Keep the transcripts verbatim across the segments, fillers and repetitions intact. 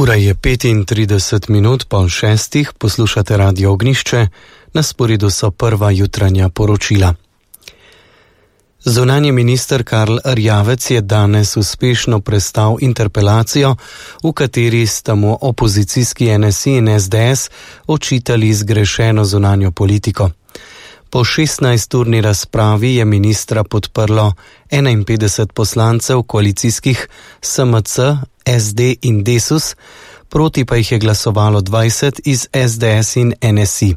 Ura je petintrideset minut po šestih, poslušate Radio Ognjišče, na sporedu so prva jutranja poročila. Zunanji minister Karl Erjavec je danes uspešno prestal interpelacijo, v kateri sta mu opozicijski N S I in S D S očitali zgrešeno zunanjo politiko. Po šestnajsturni razpravi je ministra podprlo enainpetdeset poslancev koalicijskih S M C, S D in Desus, proti pa jih je glasovalo dvajset iz S D S in N S I.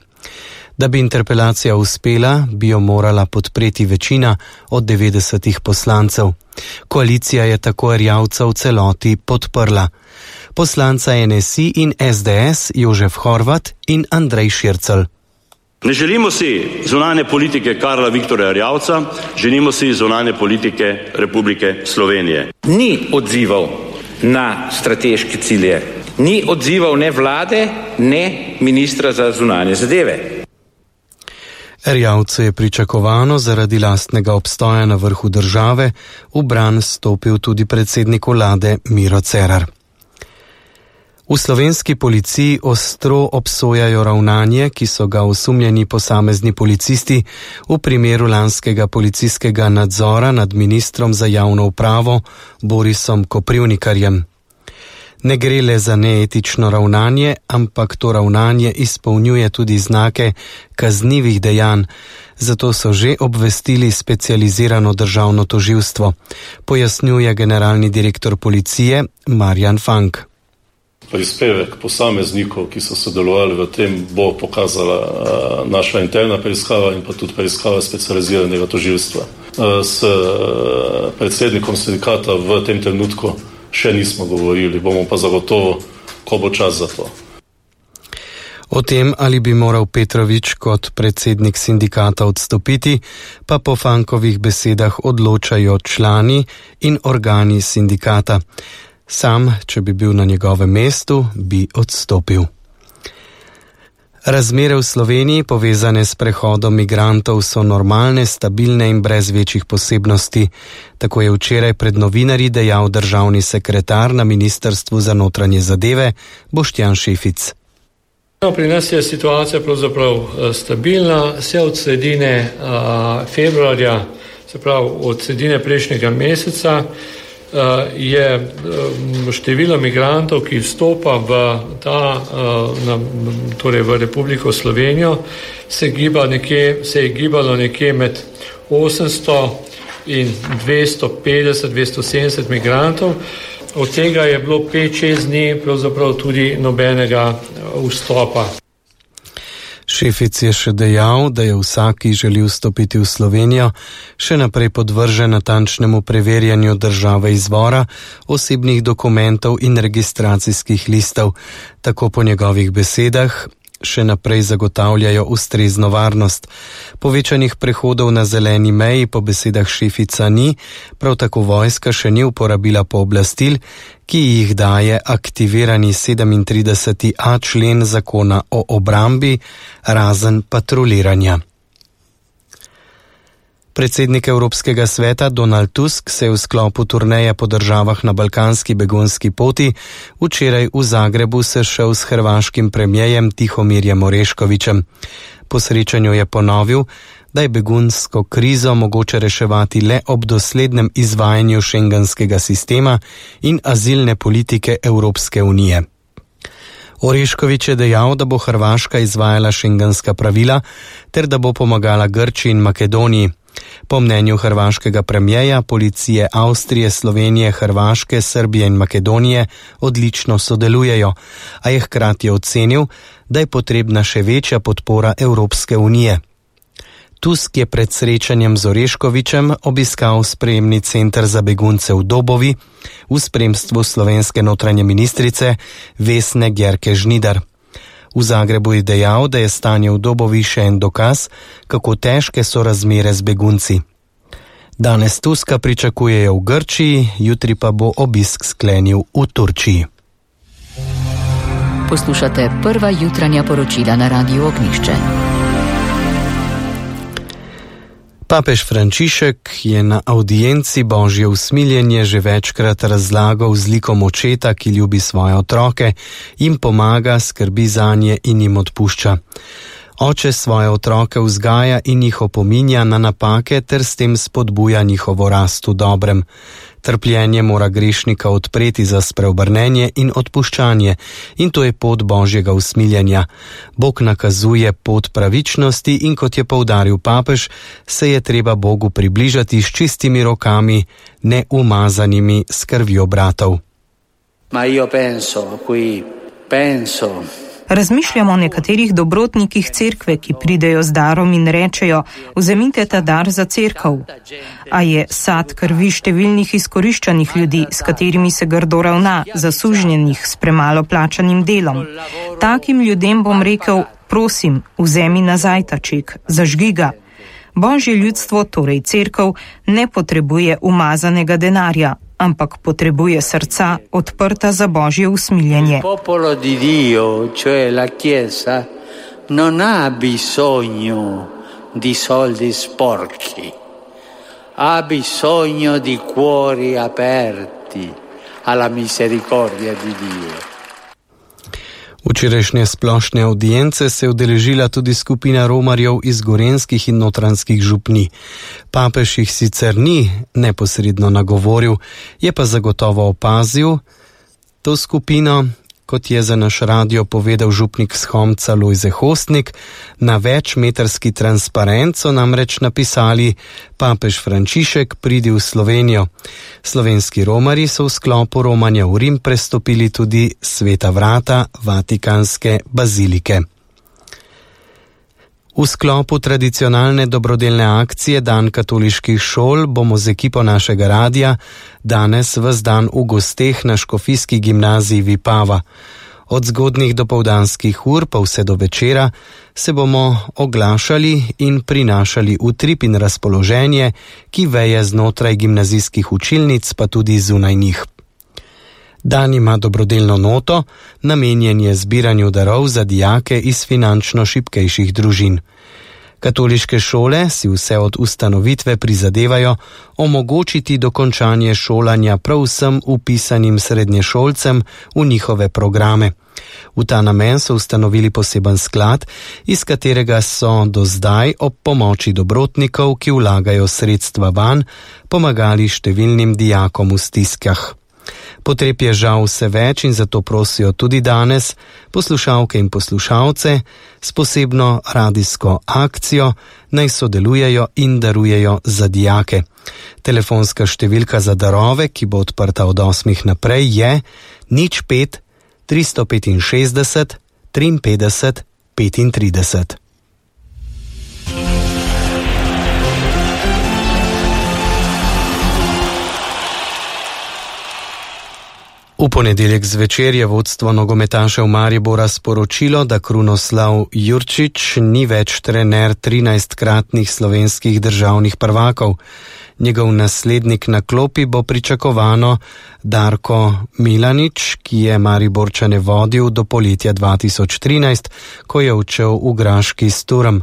Da bi interpelacija uspela, bi jo morala podpreti večina od devetdesetih poslancev. Koalicija je tako Erjavca v celoti podprla. Poslanca N S I in S D S Jožef Horvat in Andrej Šircelj. Ne želimo si zunanje politike Karla Viktorja Erjavca, želimo si zunanje politike Republike Slovenije. Ni odzival na strateške cilje, ni odzival ne vlade, ne ministra za zunanje zadeve. Erjavcu je pričakovano zaradi lastnega obstoja na vrhu države v bran stopil tudi predsednik vlade Miro Cerar. V slovenski policiji ostro obsojajo ravnanje, ki so ga osumljeni posamezni policisti v primeru lanskega policijskega nadzora nad ministrom za javno upravo Borisom Koprivnikarjem. Ne gre le za neetično ravnanje, ampak to ravnanje izpolnjuje tudi znake kaznivih dejanj, zato so že obvestili specializirano državno tožilstvo, pojasnjuje generalni direktor policije Marjan Fank. Prispevek posameznikov, ki so sodelovali v tem, bo pokazala uh, naša interna preiskava in pa tudi preiskava specializiranega tožilstva. Uh, s uh, predsednikom sindikata v tem trenutku še nismo govorili, bomo pa zagotovo, ko bo čas za to. O tem, ali bi moral Petrovič kot predsednik sindikata odstopiti, pa po Fankovih besedah odločajo člani in organi sindikata. Sam, če bi bil na njegovem mestu, bi odstopil. Razmere v Sloveniji, povezane s prehodom migrantov, so normalne, stabilne in brez večjih posebnosti. Tako je včeraj pred novinarji dejal državni sekretar na Ministrstvu za notranje zadeve Boštjan Šefic. Pri nas je situacija pravzaprav stabilna, vse od sredine uh, februarja, se pravi od sredine prejšnjega meseca, je število migrantov, ki vstopa v ta, na, torej v Republiko Slovenijo, se, giba nekje, se je gibalo nekje med osemsto in dvesto petdeset, dvesto sedemdeset migrantov. Od tega je bilo pet šest dni pravzaprav tudi nobenega vstopa. Šefic je še dejal, da je vsak, ki želi vstopiti v Slovenijo, še naprej podvržen natančnemu preverjanju države izvora, osebnih dokumentov in registracijskih listov. Tako po njegovih besedah še naprej zagotavljajo ustrezno varnost. Povečanih prehodov na zeleni meji po besedah Šefica ni, prav tako vojska še ni uporabila pooblastil, ki jih daje aktivirani sedemintrideseti a člen zakona o obrambi, razen patruliranja. Predsednik Evropskega sveta Donald Tusk se je v sklopu turneje po državah na balkanski begunski poti včeraj v Zagrebu sešel s hrvaškim premierjem Tihomirjem Oreškovićem. Po srečanju je ponovil, da je begunsko krizo mogoče reševati le ob doslednem izvajanju šengenskega sistema in azilne politike Evropske unije. Orešković je dejal, da bo Hrvaška izvajala šengenska pravila ter da bo pomagala Grčiji in Makedoniji. Po mnenju hrvaškega premierja, policije Avstrije, Slovenije, Hrvaške, Srbije in Makedonije odlično sodelujejo, a je hkrati ocenil, da je potrebna še večja podpora Evropske unije. Tusk je pred srečanjem z Oreškovićem obiskal sprejemni center za begunce v Dobovi v spremstvu slovenske notranje ministrice Vesne Györke Žnidar. V Zagrebu je dejal, da je stanje v Dobovi še en dokaz, kako težke so razmere z begunci. Danes Tuska pričakujejo v Grčiji, jutri pa bo obisk sklenil v Turčiji. Poslušate prva jutranja poročila na Radiu Ognjišče. Papež Frančišek je na audienci Božje usmiljenje že večkrat razlagal z likom očeta, ki ljubi svoje otroke, jim pomaga, skrbi zanje in jim odpušča. Oče svoje otroke vzgaja in jih opominja na napake ter s tem spodbuja njihovo rast v dobrem. Trpljenje mora grešnika odpreti za spreobrnenje in odpuščanje in to je pot Božjega usmiljenja. Bog nakazuje pot pravičnosti in kot je poudaril papež, se je treba Bogu približati s čistimi rokami, ne umazanimi s krvjo bratov. Ma io penso, qui penso. Razmišljamo o nekaterih dobrotnikih cerkve, ki pridejo z darom in rečejo, vzemite ta dar za cerkev. A je sad krvi številnih izkoriščanih ljudi, s katerimi se grdo ravna, zasužnjenih s premalo plačanim delom. Takim ljudem bom rekel, prosim, vzemi nazaj ta ček, zažgi ga. Božje ljudstvo, torej cerkev, ne potrebuje umazanega denarja, ampak potrebuje srca odprta za Božje usmiljenje. Il popolo di Dio, cioè la Chiesa, non ha bisogno di soldi sporchi, ha bisogno di cuori aperti alla misericordia di Dio. Včerajšnje splošne audience se je udeležila tudi skupina romarjev iz gorenskih in notranjskih župni. Papež jih sicer ni neposredno nagovoril, je pa zagotovo opazil to skupino, kot je za naš radio povedal župnik s Homca Lojze Hostnik. Na večmetrski transparent so namreč napisali: Papež Frančišek, pridi v Slovenijo. Slovenski romarji so v sklopu romanja v Rim prestopili tudi sveta vrata Vatikanske bazilike. V sklopu tradicionalne dobrodelne akcije Dan katoliških šol bomo z ekipo našega radia danes ves dan v gosteh na škofijski gimnaziji Vipava. Od zgodnjih dopoldanskih ur pa vse do večera se bomo oglašali in prinašali utrip in razpoloženje, ki veje znotraj gimnazijskih učilnic pa tudi zunaj njih. Dan ima dobrodelno noto, namenjen je zbiranju darov za dijake iz finančno šibkejših družin. Katoliške šole si vse od ustanovitve prizadevajo omogočiti dokončanje šolanja prav vsem vpisanim srednješolcem v njihove programe. V ta namen so ustanovili poseben sklad, iz katerega so do zdaj ob pomoči dobrotnikov, ki vlagajo sredstva vanj, pomagali številnim dijakom v stiskah. Potreb je žal vse več in zato prosijo tudi danes poslušalke in poslušalce s posebno radijsko akcijo, naj sodelujejo in darujejo za dijake. Telefonska številka za darove, ki bo odprta od osmih naprej, je nič pet tristo petinšestdeset triinpetdeset petintrideset. V ponedeljek zvečer je vodstvo nogometašev Maribora sporočilo, da Krunoslav Jurčič ni več trener trinajstkratnih slovenskih državnih prvakov. Njegov naslednik na klopi bo pričakovano Darko Milanič, ki je Mariborčane vodil do poletja dva tisoč trinajst, ko je odšel v Graški Sturm.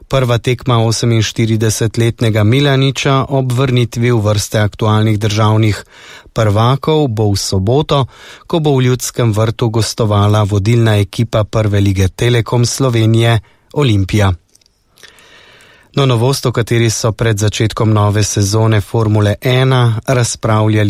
Prva tekma oseminštiridesetletnega Milaniča ob vrnitvi v vrste aktualnih državnih prvakov bo v soboto, ko bo v Ljudskem vrtu gostovala vodilna ekipa Prve lige Telekom Slovenije Olimpija. No, novost, o kateri so pred začetkom nove sezone Formule ena razpravljali